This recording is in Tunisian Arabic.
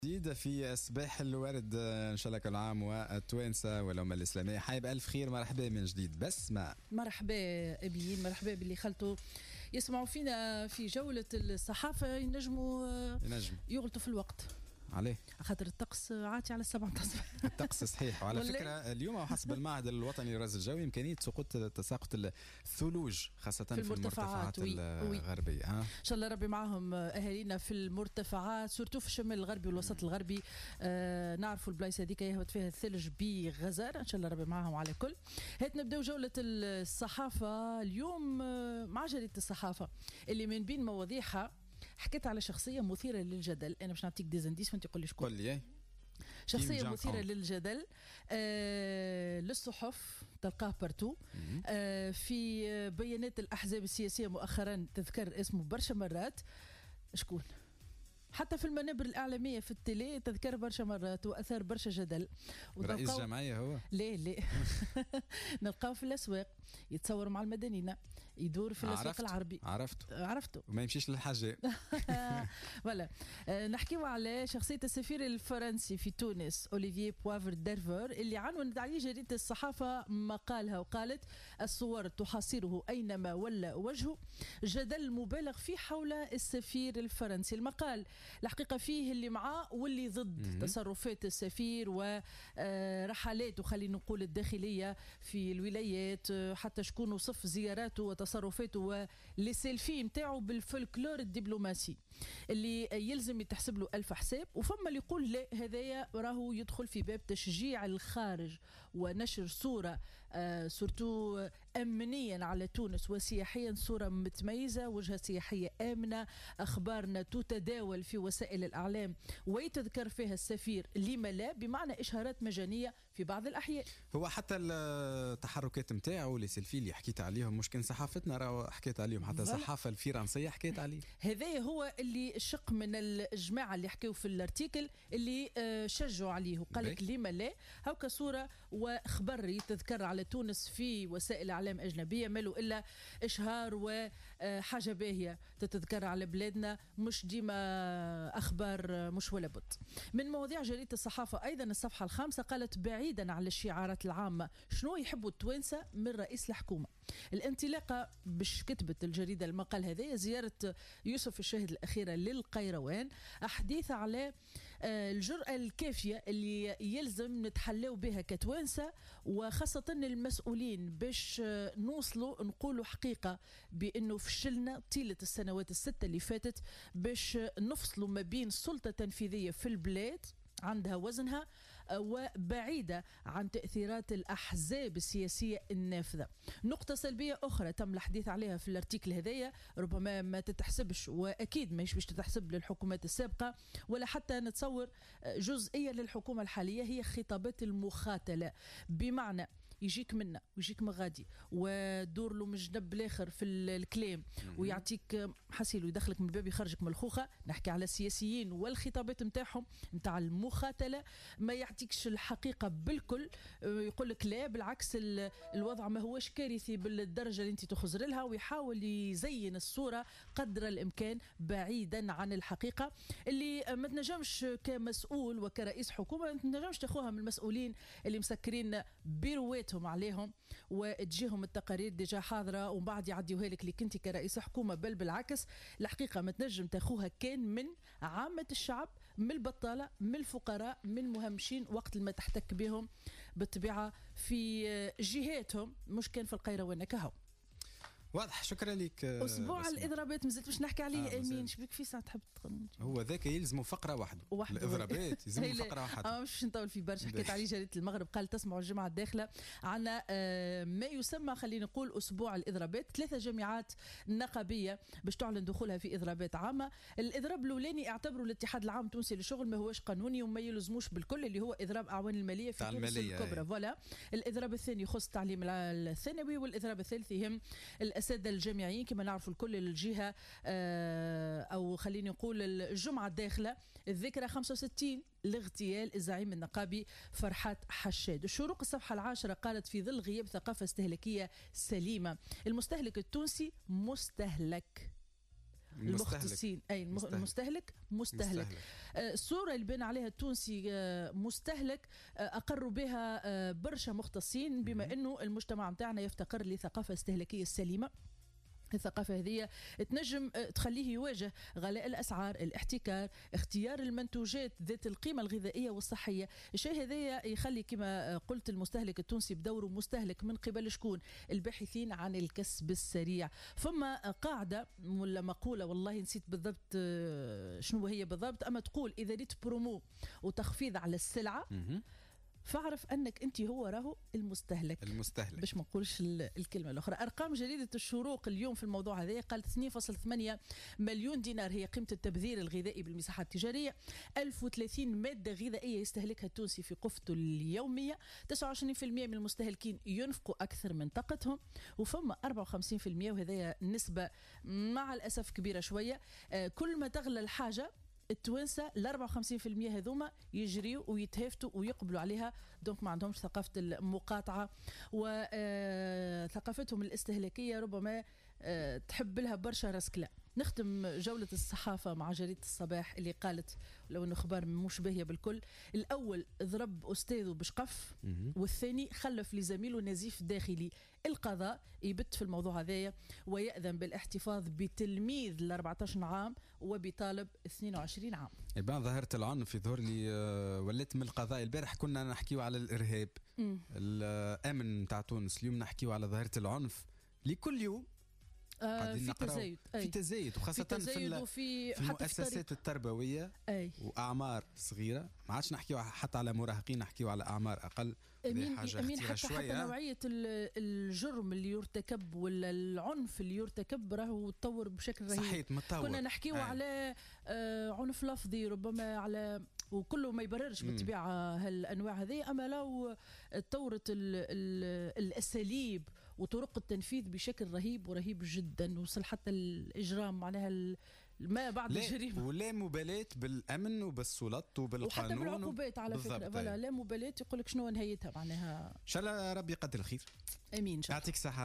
جديدة في صباح الورد، ان شاء الله كل عام والتوانسه والامه الاسلامية حي بالف خير. مرحبا من جديد بسمة. مرحبا ابيين، مرحبا باللي خلطوا يسمعوا فينا في جولة الصحافه. ينجموا ينجم يغلطوا في الوقت. عليه؟ خاطر الطقس عاتي على 7 الصباح. الطقس صحيح. وعلى فكرة اليوم حسب المعهد الوطني للرصد الجوي امكانية سقوط تساقط الثلوج خاصة في المرتفعات الغربيه. ها؟ ان شاء الله ربي معاهم اهالينا في المرتفعات، surtout في الشمال الغربي والوسط الغربي. نعرفوا البلايص هذيك يهبط فيها الثلج بغزاره، ان شاء الله ربي معاهم على كل. هات نبداو جولة الصحافة اليوم مع جريدة الصحافة اللي من بين مواضيعها حكيت على شخصية مثيرة للجدل. انا باش نعطيك des indices وانت قول لي شكون. قول لي. شخصية مثيرة للجدل، للصحف تلقاه partout، في بيانات الاحزاب السياسية مؤخرا تذكر اسمه برشا مرات. شكون؟ حتى في المنابر الإعلامية في ال télé تذكر برشا مرات وأثار برشا جدل. رئيس جمعية هو؟ لا لا، نلقاو في الأسواق يتصور مع المدنيين، يدور في الأسواق العربي. عرفته. عرفته. وما يمشيش للحاجة. voilà، نحكيو على شخصية السفير الفرنسي في تونس أوليفييه بوافر ديرفور اللي عنونت عليه جريدة الصحافة مقالها وقالت: الصور تحاصره أينما ولى وجهه، جدل مبالغ فيه حول السفير الفرنسي. المقال الحقيقة فيه اللي معاه واللي ضد تصرفات السفير ورحلاته، خلينا نقول الداخلية في الولايات، حتى شكون وصف زياراته وتصرفاته و les selfies نتاعو بالفولكلور الدبلوماسي اللي يلزم يتحسب له ألف حساب. وفما اللي يقول لا، هذايا راهو يدخل في باب تشجيع الخارج ونشر صورة surtout أمنيا على تونس وسياحيا، صورة متميزة، وجهة سياحية آمنة، أخبارنا تتداول في وسائل الإعلام ويتذكر فيها السفير، لما لا، بمعنى إشهارات مجانية في بعض الأحيان. هو حتى التحركات نتاعو les selfies اللي حكيت عليهم مش كان صحافتنا راهو حكيت عليهم، حتى الصحافة الفرنسية حكيت عليه. هذا هو اللي شق من الجماعة اللي حكيوا في ال article اللي شجعوا عليه وقال لك لما لا، هوكا صورة وخبر يتذكر على تونس في وسائل إعلام أجنبية مالو إلا إشهار وحاجة باهية تتذكر على بلادنا، مش ديما أخبار مش ولا بد. من مواضيع جريدة الصحافة أيضا الصفحة الخامسة قالت: بعيدا عن الشعارات العامة، شنو يحبوا التوانسة من رئيس الحكومة؟ الانطلاقة باش كتبت الجريدة المقال هذا زيارة يوسف الشاهد الأخيرة للقيروان، حديث على الجرأة الكافية اللي يلزم نتحلاو بها كتوانسة وخاصة المسؤولين باش نوصلوا نقولوا حقيقة بأنه فشلنا طيلة السنوات الستة اللي فاتت باش نفصلوا ما بين سلطة تنفيذية في البلاد عندها وزنها وبعيدة عن تأثيرات الأحزاب السياسية النافذة. نقطة سلبية أخرى تم الحديث عليها في ال article هذايا، ربما ما تتحسبش وأكيد ماهيش باش تتحسب للحكومات السابقة ولا حتى نتصور جزئيا للحكومة الحالية، هي خطابات المخاتلة، بمعنى يجيك منا ويجيك من غادي ودور له من جنب الاخر في الكلام ويعطيك حسيل ويدخلك من الباب يخرجك من الخوخه. نحكي على السياسيين والخطابات نتاعهم نتاع المخاتله، ما يعطيكش الحقيقة بالكل، يقول لك لا بالعكس الوضع ما هوش كارثي بالدرجة اللي انت تخزر لها، ويحاول يزين الصورة قدر الامكان بعيدا عن الحقيقة اللي ما تنجمش كمسؤول وكرئيس حكومة ما تنجمش تاخوها من المسؤولين اللي مسكرين بيرواتهم عليهم وتجيهم التقارير déjà حاضره ومن بعد يعديوها لك اللي كنت كرئيس حكومة، بل بالعكس الحقيقة ما تنجم تاخوها كان من عامة الشعب، من البطالة، من الفقراء، من المهمشين، وقت ما تحتك بهم بالطبيعة في جهاتهم مش كان في القيروان كهو. واضح، شكرا لك. اسبوع الاضرابات مازلت باش نحكي عليه. امين شبيك في ساعة تحب هو ذاك يلزموا فقره وحده، الاضرابات يلزموا فقره وحده. مش نطول في برشا. حكيت عليه جريدة المغرب، قال تسمعوا الجمعة الداخلة عندنا ما يسمى خلينا نقول اسبوع الاضرابات، 3 جامعات نقابيه باش تعلن دخولها في اضرابات عامة. الاضراب الاولاني اعتبروا الاتحاد العام التونسي للشغل ما هوش قانوني وما يلزموش بالكل، اللي هو اضراب اعوان المالية في تونس الكبرى. voilà. الاضراب الثاني يخص التعليم الثانوي، والاضراب الثالث يهم الأساتذة الجامعيين كما نعرفوا الكل. الجهة أو خليني نقول الجمعة الداخلة الذكرى 65 لاغتيال الزعيم النقابي فرحات حشاد. الشروق الصفحة 10 قالت: في ظل غياب ثقافة استهلاكية سليمة، المستهلك التونسي مستهلك المختصين، اي المستهلك مستهلك. الصورة اللي بان عليها التونسي مستهلك اقروا بها برشا مختصين، بما انه المجتمع نتاعنا يفتقر لثقافة استهلاكية سليمة. الثقافة هذه تنجم تخليه يواجه غلاء الأسعار، الاحتكار، اختيار المنتوجات ذات القيمة الغذائية والصحية. الشيء هذا يخلي كما قلت المستهلك التونسي بدوره مستهلك من قبل شكون؟ الباحثين عن الكسب السريع. فما قاعدة ولا مقولة، والله نسيت بالضبط شنو هي بالضبط، أما تقول إذا ريت برومو وتخفيض على السلعة فاعرف انك انت هو راهو المستهلك، المستهلك باش ما نقولش الكلمة الاخرى. ارقام جريدة الشروق اليوم في الموضوع هذا قالت 2.8 مليون دينار هي قيمة التبذير الغذائي بالمساحات التجارية، 1030 مادة غذائية يستهلكها التونسي في قفته اليومية، 29% من المستهلكين ينفقوا اكثر من طاقتهم، وفما 54% وهذا نسبه مع الاسف كبيرة شوية، كل ما تغلى الحاجة التوانسة ال 54% هذوما يجريوا ويتهافتوا ويقبلوا عليها، donc ما عندهمش ثقافة المقاطعة وثقافتهم الاستهلاكية ربما تحب لها برشا رسكله. نختم جولة الصحافة مع جريدة الصباح اللي قالت لو انه اخبار مش باهيه بالكل، الاول ضرب استاذه بشقف والثاني خلف لزميله نزيف داخلي. القضاء يبت في الموضوع هذايا ويأذن بالاحتفاظ بتلميذ ل 14 عام وبطالب 22 عام. يبان ظاهرة العنف يظهر لي ولات من القضاء. البارح كنا نحكيو على الإرهاب الأمن نتاع تونس، اليوم نحكيو على ظاهرة العنف لكل يوم في تزايد، في تزايد، وخاصة في المؤسسات التربوية. أي. وأعمار صغيرة، ما عادش نحكيو حتى على مراهقين، نحكيو على أعمار أقل. أمين حاجة أمين حتى نوعية الجرم اللي يرتكب ولا العنف اللي يرتكب راهو تطور بشكل رهيب. صحيح، متطور. كنا نحكيو على عنف لفظي ربما، على وكله ما يبررش بالطبيعة هالأنواع هذه، أما لو تطورت الأساليب وطرق التنفيذ بشكل رهيب ورهيب جدا، وصل حتى الإجرام معناها ما بعد الجريمة، ولا مبالاة بالأمن وبالسلطات وبالقانون وحتى بالعقوبات على فكرة. لا مبالاة، يقول لك شنو نهايتها معناها. إن شاء الله ربي يقدر الخير. آمين إن شاء الله. يعطيك الصحة.